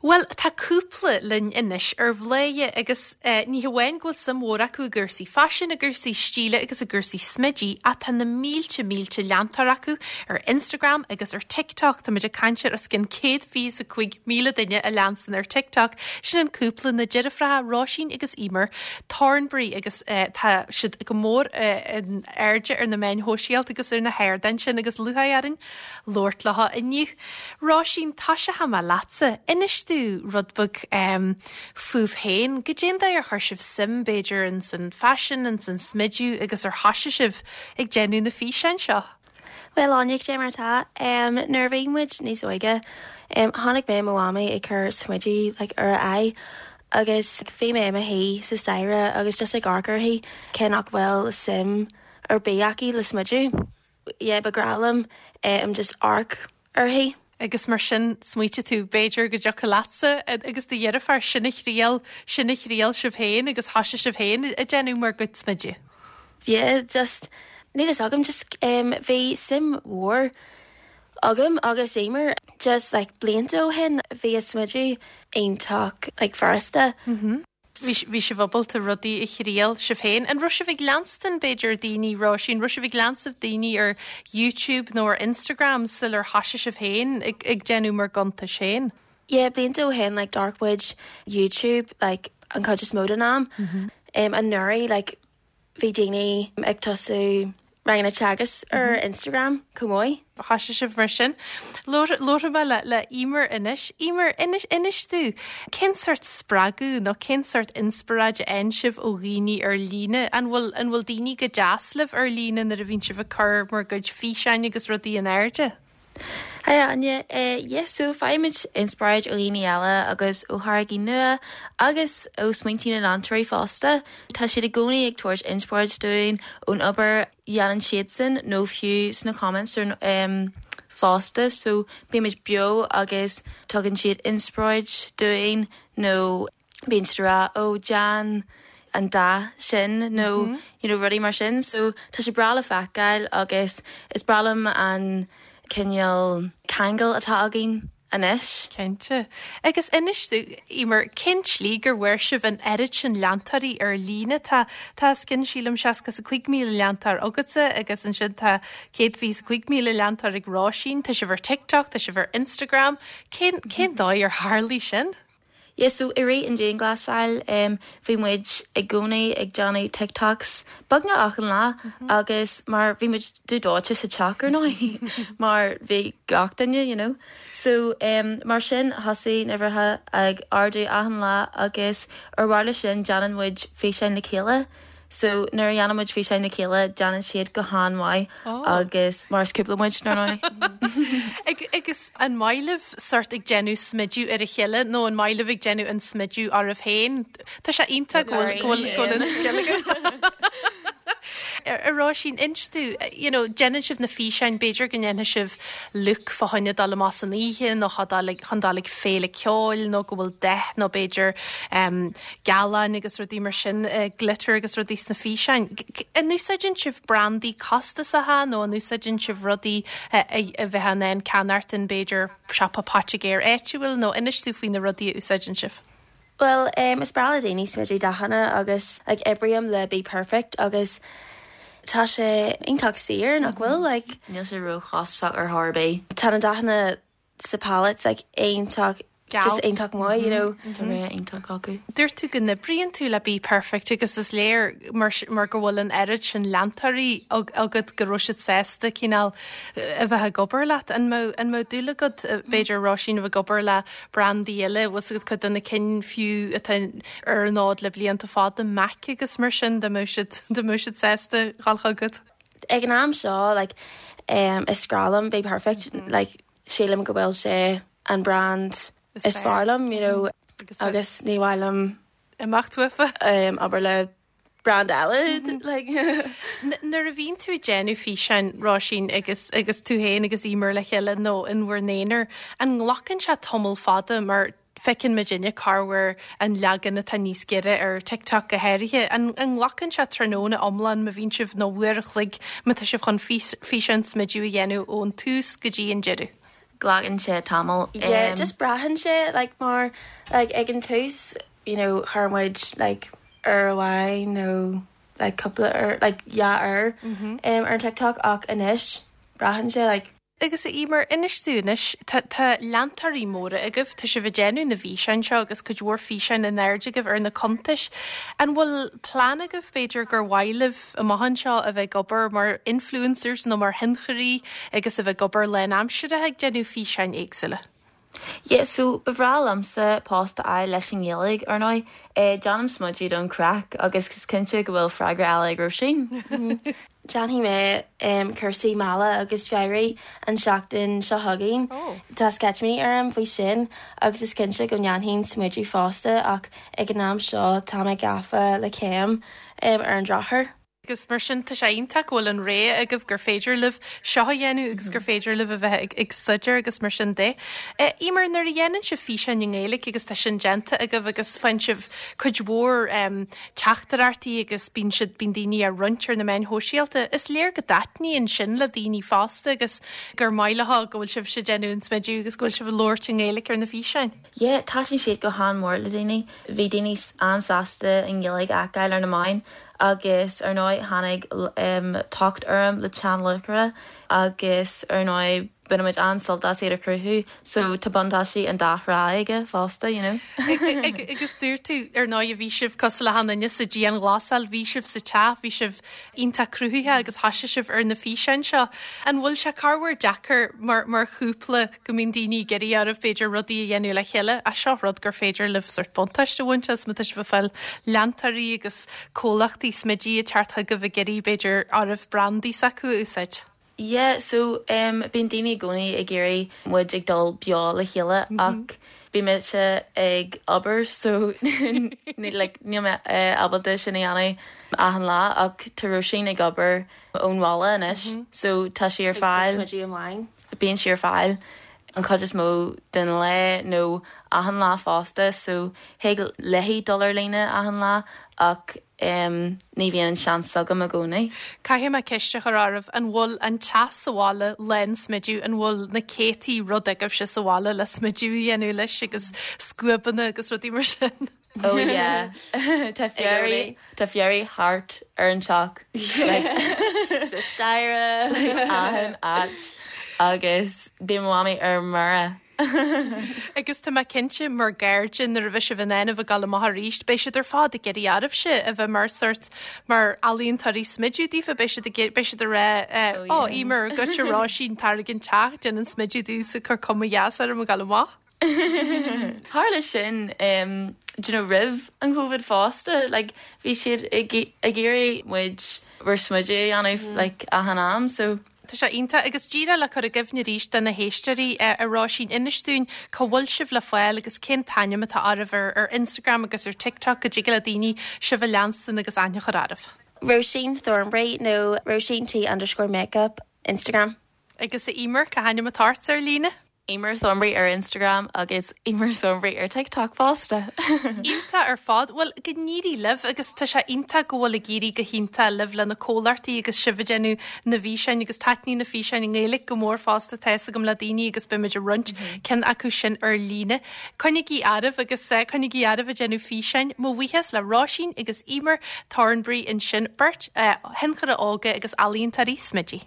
Bhuel, tá cúpla linn anois ar Bhladhaire agus ní hamháin go bhfuil suim mhór acu i gcúrsaí faisin, i gcúrsaí stíle agus i gcúrsaí smididh ach tá na mílte mílte leantóir acu ar Instagram agus ar TikTok. Tá muid ag caint ar os cionn 125,000 duine a leanstan ar TikTok. Sin an cúpla, na deirfiúracha Róisín agus Emer Thornberry agus tá siad go mór in airde ar na meáin shóisialta agus ar na hardáin sin agus lúcháir orainn labhairt leo inniu. Róisín, tosóidh mé leatsa. Inis domh rud beag fúibh féin. Goidé an dóigh ar chuir sibh suim, b'fhéidir, ins an faisean, ins an smidiú agus ar thoisigh sibh ag déanamh na físeáin seo? Bhuel, Áine, cad é mar atá? Nuair a bhí muid níos óige, chonaic mé mo mhamaí ag cur smideadh like ar a aghaidh agus bhí mé i mo shuí sa staighre agus just ag amharc uirthi cé nach bhfuil suim ar bith aici le smideadh. yeah ba ghnách liom em just amharc uirthi. Agus mar sin smaoitigh tú b'fhéidir go dtiocfadh leatsa agus do dheirfiúr sin a thriail, sin a thriail sibh féin agus thoisigh sibh féin ag déanamh bhur gcuid smididh. Yeah just níl fhios agam just em bhí suim mhór agam agus Emer just like blianta ó shin bhí a smideadh iontach like furasta. Bhí sibh ábalta rudaí a thriail sibh féin. An raibh sibh ag leanstan, b'fhéidir, daoine, Róisín, raibh sibh ag leanstan daoine ar YouTube nó ar Instagram sular thoisigh sibh féin ag déanamh bhur gcuntais féin? Yeah, blianta ó shin, like, d'amharc muid YouTube, like, an chuid is mó den am. Anuraidh, like, Bhí daoine ag tosú ranganna teagasc ar Instagram chomh maith. Thoisigh sibh mar sin. Labharfaidh mé le le Emer anois. Emer, inis inis domh, cén sórt spreagadh nó cén sórt inspioráid a fhaigheann sibh ó dhaoine ar líne? An bhfuil an bhfuil daoine go deas libh ar líne nuair a bhíonn sibh ag cur bhur gcuid físeáin agus rudaí in airde? Hi Áine, yeah so faighimid inspioráid ó dhaoine eile agus ó tháirgí nua agus ó smaointí na leantóirí fosta. Tá siad i gcónaí ag tabhairt inspioráid dúinn ón obair a dhéanann siadsan nó fiú sna comments ar fosta so bímid beo agus tugann siad inspioráid dúinn nó bíonn siad ag rá 'ó déan an dath sin' nó you know rudaí mar sin so tá sé breá le feiceáil agus is breá liom an cineál ceangal atá againn anois. Cinnte. Agus inis domh, Emer, cén tslí gur bhfuair sibh an oiread sin leantóirí ar líne? Tá, tá os cionn, sílim, 65,000 leantóir agatsa agus ansin tá 125,000 leantóir ag Róisín. Tá sibh ar TikTok, tá sibh ar Instagram. Cén, cén dóigh ar tharlaigh sin? Yeah so i rith an dianghlasáil em bhí muid i gcónaí ag déanamh TikToks beagnach achan lá agus mar bhí muid dubh dóite sa teach ar ndóigh mar bhí gach duine you know so em mar sin thosaigh na uimhreacha ag ardú achan lá agus ar bharr leis sin déanann muid físeáin le chéile So nuair a dhéanann muid físeáin le chéile déanann siad go han-mhaith agus mar is cúpla muid ar ndóigh. Agus an maith libh sort ag déanamh smidiú ar a chéile nó an maith libh ag déanamh an smidiú oraibh féin? Tá sé iontach go bhfuil go bhfuil go bhfuil an scil agat. A Róisín, inis domh, you know, déanann sibh na físeáin, b'fhéidir go ndéanfaidh sibh look fá choinne dul amach san oíche nó chun dul ag féile ceoil nó go bhfuil dath nó b'fhéidir um, gealáin agus rudaí mar sin, glitter agus rudaí sna físeáin. An úsáideann sibh brandaí costasacha nó an úsáideann sibh rudaí a bheifeá in ann ceannacht in b'fhéidir siopa poitigéir áitiúil nó inis domh faoi na rudaí a úsáideann sibh? Bhuel, is breá le daoine smideadh dathanna agus like oibrím le BPerfect agus tá sé iontach saor, nach bhfuil? Like. Níl sé róchostasach ar chor ar bith. Tá na dathanna sa palettes like iontach just iontach maith you know. Tá rogha iontach acu. Dúirt tú go n-oibríonn tú le BPerfect agus is léir mar mar go bhfuil an oiread sin leantóirí agat go raibh siad sásta cineál a bheith ag obair leat. An mbeadh an mbeadh dúil agat b'fhéidir Róisín a bheith ag obair le brandaí eile, bhfuil 's agat cuid de na cinn fiú atá ar an fhód le blianta fada, MAC agus mar sin, dá mbeadh siad dá mbeadh siad sásta dhul chugat? Ag an am seo like is grá liom BPerfect like sílim go bhfuil sé an brand is fearr liom you know agus ní mhaith liom imeacht uafa. obair le brand eile like. Nuair a bhíonn tú ag déanamh físeáin, Róisín, agus agus tú féin agus Emer le chéile nó in bhur n-aonar, an nglacann sé tamall fada mar Feiceann muidinne corruair an leagan atá níos giorra ar TikTok go háirithe. An nglacann sé tráthnóna iomlán má bhíonn sibh, nó uair a chloig má tá sibh chun físeán smidiú a dhéanamh ón tús go dtí an deireadh? Glacann sé tamall. Yeah, just braitheann sé like mar like ag an tús you know chuir muid like uair amháin nó like cúpla uair like dhá uair um, ar an TikTok ach anois braitheann sé like Agus a Emer, inis dúinn anois, tá tá leantóirí móra agaibh, tá sibh ag déanamh na bhfíseáin seo agus cuid mhór físeáin in airde agaibh ar na cuntais. An bhfuil plean agaibh b'fhéidir gur mhaith libh amach anseo a bheith ag obair mar influencers nó mar thionchairí agus a bheith ag obair lánaimseartha ag déanamh físeáin éagsúla? Yeah, so ba bhreá liomsa post a fháil leis an nGaeilge, ar ndóigh. Déanaim smideadh don chraic agus is cinnte go bhfuil freagra eile ag Róisín. Déanfaidh mé cúrsaí meala agus féaraigh an tseachtain seo chugainn. Tá sceitimíní orm faoi sin agus is cinnte go ndéanfainn smideadh fosta ach ag an am seo tá mé gafa le céim ar an drochuair. Agus mar sin, tá sé iontach go bhfuil an rogha agaibh gur féidir libh seo a dhéanamh agus gur féidir libh a bheith ag staidéar agus mar sin de. Emer, nuair a dhéanann sibh físeáin i nGaeilge agus tá sin déanta agaibh agus faigheann sibh cuid mhór teachtaireachtaí agus bíonn siad, bíonn daoine á roinnt ar na meáin shóisialta, is léir go dtaitníonn sin le daoine fosta agus gur maith leo go bhfuil sibhse ag déanamh an smideadh agus go bhfuil sibh ag labhairt i nGaeilge ar na físeáin. Yeah, thaitin siad go han-mhór le daoine. Bhí daoine an-sásta an Ghaeilge a fheiceáil ar na meáin agus ar ndóigh tháinig tocht orm le teann lúcháire agus ar ndóigh bainimid an-sult as iad a chruthú so tá buntáistí an dá thrá aige fosta, you know. Agus dúirt tú ar ndóigh bhí sibh cosúil le achan duine sa dianghlasáil, bhí sibh sa teach, bhí sibh iontach cruthaitheach agus thoisigh sibh ar na físeáin seo. An bhfuil sé corruair deacair mar mar chúpla go mbíonn daoine ag iarraidh oraibh b'fhéidir rudaí a dhéanamh le chéile ach seo rud gur féidir libh sórt buntáiste a bhaint as má tá sibh ag fáil leantóirí agus comhlachtaí smididh ag teacht chugaibh ag iarraidh b'fhéidir oraibh brandaí s'acu a úsáid. Yeah so em bíonn daoine i gcónaí ag iarraidh muid ag dul beo le chéile ach bíonn mise ag obair so ní like níl mé ábalta sin a dhéanamh achan lá ach tá Róisín ag obair ón bhaile anois so tá sí ar fáil bíonn sí ar fáil an chuid is mó den lá nó achan lá fosta so thig léi dul ar líne achan lá ach ní bhíonn an seans agam i gcónaí. Caithfidh mé ceist a chur oraibh, an bhfuil an teach sa bhaile lán smideadh, an bhfuil na céadtaí rud agaibhse sa bhaile le smideadh a dhéanamh leis agus scuabanna agus rudaí mar sin? Oh yeah. Tá féaraigh, tá féaraigh thart ar an teach. Like, sa staighre, like, achan áit. Agus bíonn mo mhamaí ar mire. Agus tá mé cinnte, mar gcairde, nuair a bheidh sibh in ann a bheith ag dul amach arís, beidh siad ar fad ag iarraidh oraibhse a bheith mar sórt, mar ealaíontóirí smideadh daofa, beidh siad ag, beidh siad ag rá, Ó, Emer, goitse Róisín, tar ag an teach, déan an smideadh domhsa, cuir cuma dheas orm ag dul amach. Tharla sin, do you know, roimh an Covid fosta, like, bhí siad ag iarraidh muid bhur smideadh a dhéanamh, like, achan am, so. Tá sé iontach. Agus díreach le cur i gcuimhne arís do na héisteoirí, a Róisín, inis dúinn cá bhfuil sibh le fáil agus cén t-ainm atá oraibh ar Instagram agus ar TikTok go dtig le daoine sibh a leanstan agus aithne a chur oraibh. Róisín Thornbury nó Róisín T underscore makeup, Instagram. Agus a Emer, cá hainm atá ort ar líne? Emer Thornbury ar Instagram agus Emer Thornbury ar TikTok fosta. Iontach ar fad. Bhuel, go n-éirí libh agus tá sé iontach go bhfuil ag éirí go hiontach libh le na comhlachtaí agus sibh ag déanamh na bhfíseáin agus taitníonn na físeáin i nGaeilge go mór fosta tá fhios agam le daoine agus beimid ag roinnt ceann acu sin ar líne. Coinnígí oraibh agus coinnígí oraibh ag déanamh físeáin. Mo bhuíochas le Róisín agus Emer Thornbury ansin, beirt thionchairí óga agus ealaíontóirí smididh.